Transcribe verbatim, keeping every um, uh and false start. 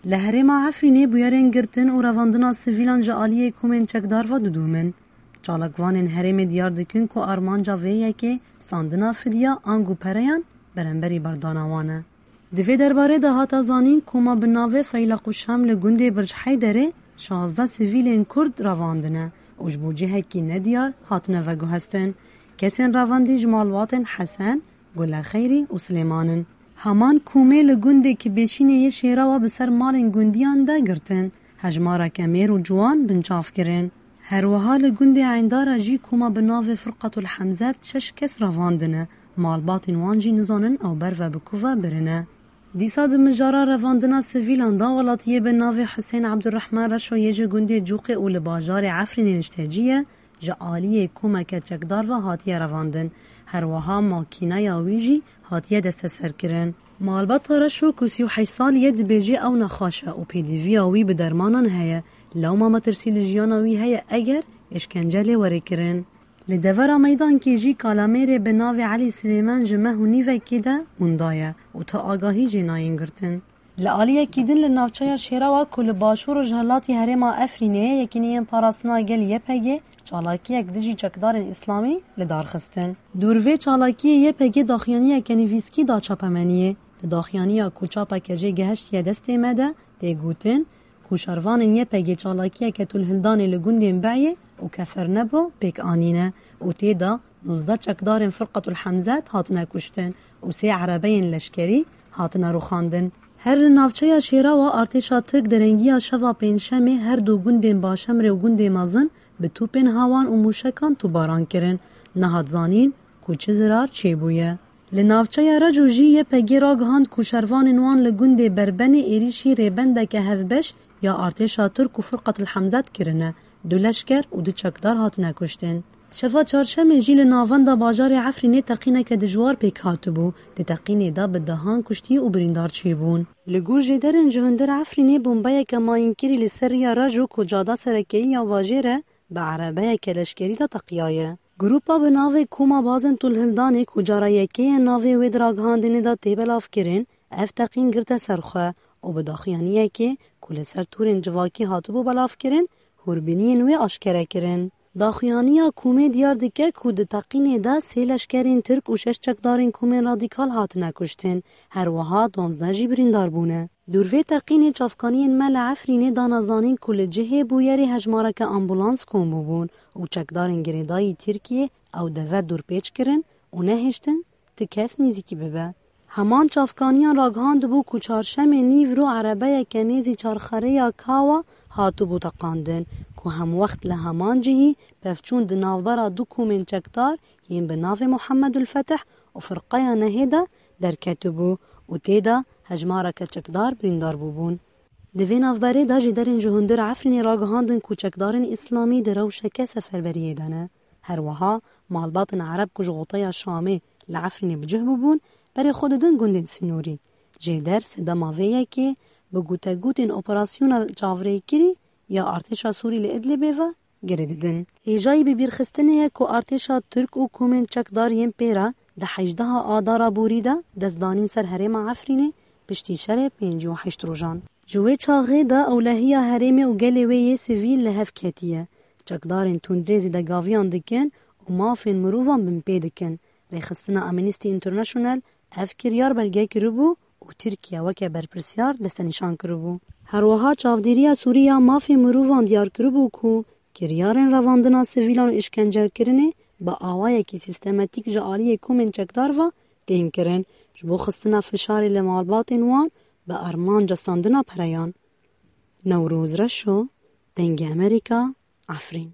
Li herêma Efrînê bûyerên girtin û revandina sivîlan ji aliyê komên çekdar ve didûmin. Çalakvanên herêmê diyar dikin ku armanca vê yekê standina fidya ango pereyan beramberî berdana wan e. Di vê derbarê de hate zanîn, koma bi navê Feylaq û Şam li gundê Birc Heyderê şazdeh sivîlên Kurd revandine û ji bo cihekî nediyar hatine veguhestin. Kesên revandî ji malbatên Hesen, Gule Xeyrî û Silêman in. Heman komê li gundê Kibêşînê yê Şêrawa bi ser malên gundiyan de girtin. Hejmareke mêr û ciwan binçav kirin. Her wiha li gundê Eyndara jî koma bi navê Firqetul Hemzet şeş kes revandine. Malbatên wan jî nizanin ew berve bi ku ve birine. Dîsa di mijara revandina sivîlan de welatiyê bi navê Husên Ebdurrehman Reşo yê ji gundê Cûqê û li bajarê Efrînê niştecî ye, ji aliyê komeke çekdar ve hatiye revandin. Her wiha makîneya wî jî hatiye desteserkirin. Malbata Reşo ku sî û heşt salî ye dibêje ew nexweş e û pêdiviya wî bi dermanan heye. Lewma metirsî li jiyana wî heye eger êşkence lê were kirin. Li devera meydankê jî kalamêrê bi navê Elî Silêman ji meh û nîvekê de winda ye û tu agahî jê nayên girtin. Li aliyekî din li navçeya Şêrawa ku li başûr û rojhilatî herêma Efrînê ye, Yekîneyên Parastina Gel Y P G çalakiyek dijî çekdarên îslamî li dar xistin. Dûr vê çalakiyê Y P G daxuyaniyeke nivîskî da çapemeniyê. Di daxuyaniya ku çapeke jê gehiştiye destê me de tê gotin, ku şervanên Y P G çalakiyeke tûlhildanê li gundên Beyê û Kefernebo pêk anîne û tê de nozdeh çekdarên Firqetul Hemzet hatine kuştin û sê erebeyên leşkerî hatine rûxandin. Her li navçeya Şêrawa artêşa Tirk derengiya şeva Pêncşemê her du gundên Başemrê û gundê mezin bi tûpên hawan û mûşekan tûbaran kirin. Nehat zanîn ku çi zirar çêbûye. Li navçeya Reco jî Y P G ragihand ku şervanên wan li gundê Berbenê êrîşî rêbendeke hevbeş ya artêşa Tirk û Firqetul Hemzet kirine, du leşker û du çekdar hatine kuştin. Şeva Çarşemê jî li navenda bajarê Efrînê teqîneke dijwar pêk hatibû. Di teqînê de bi dehan kuştî û birîndar çêbûn. Li gor jêderên ji hundir Efrînê bombeyeke mayînkirî li ser riya Reco ku cada serekeyî ya bajêr e, bi erebeyeke leşkerî de teqiyaye. Grûpa bi navê Koma Bazên Tûlhildanê ku cara yekê ye navê wê di ragihandinê de tê belavkirin, ev teqîn girte ser xwe û bi daxuyaniyekê ku li ser torên civakî hatibû belavkirin, hûrbîniyên wê aşkere kirin. Daxuyaniya komê diyar dike ku di teqînê de sê leşkerên Tirk û şeş çekdarên komên radîkal hatine kuştin, her wiha duwazdeh jî birîndar bûne. Dûr vê teqînê çavkaniyên me li Efrînê dana zanîn ku li cihê bûyerê hejmareke ambulans kom bûbûn û çekdarên girêdayî Tirkiyê ew dever dûrpêç kirin û nehiştin ti kes nêzîkî bibe. Heman çavkaniyan ragihandibû ku çarşemê nîvro erebeyeke nêzî çarxerêya Kawa hatibû teqandin ku hemwext li heman cihî pevçûn di navbera du komên çekdar yên bi navê Muhemmed ul Fetih û Firqeya Nehê de derketibû û tê de hejmareke çekdar birîndar bûbûn. Di vê navberê de jêderên ji hundir Efrînê ragihandin ku çekdarên îslamî di rewşeke seferberiyê de ne. Her wiha malbatên Ereb ku ji xoteya Şamê li Efrînê bi cih bûbûn, berê xwe didin gundên sînorî. Jêder sedema vê yekê bi gotegotên operasyona çavrêkirî ya artêşa Sûrî li Idlibê ve girê didin. Hêjayî bibîrxistinê ye ku artêşa Tirk û komên çekdar yên pê re di hejdeha Adara borî de destdanîn ser herêma Efrînê piştî şerê pêncî û heşt rojan. Ji wê çaxê de ewlehiya herêmê û gelê wê yê sivîl li hev ketiye. Çekdarên tundrê zêdegaviyan dikin û mafên mirovan binpê dikin. Rêxistina Amnesty International ev kiryar belge kiribû û Tirkiye weke berpirsiyar destenîşan kiribû. Her wiha çavdêriya Sûrî ya mafê mirovan diyar kiribû ku kiryarên revandina sivîlan û îşkencekirinê bi awayekî sîstemetîk ji aliyê komên çekdar ve tên kirin, ji bo xistina fişarê li malbatên wan bi armanca standina pereyan. Newroz Reşo, Dengê Amerîka, Efrîn.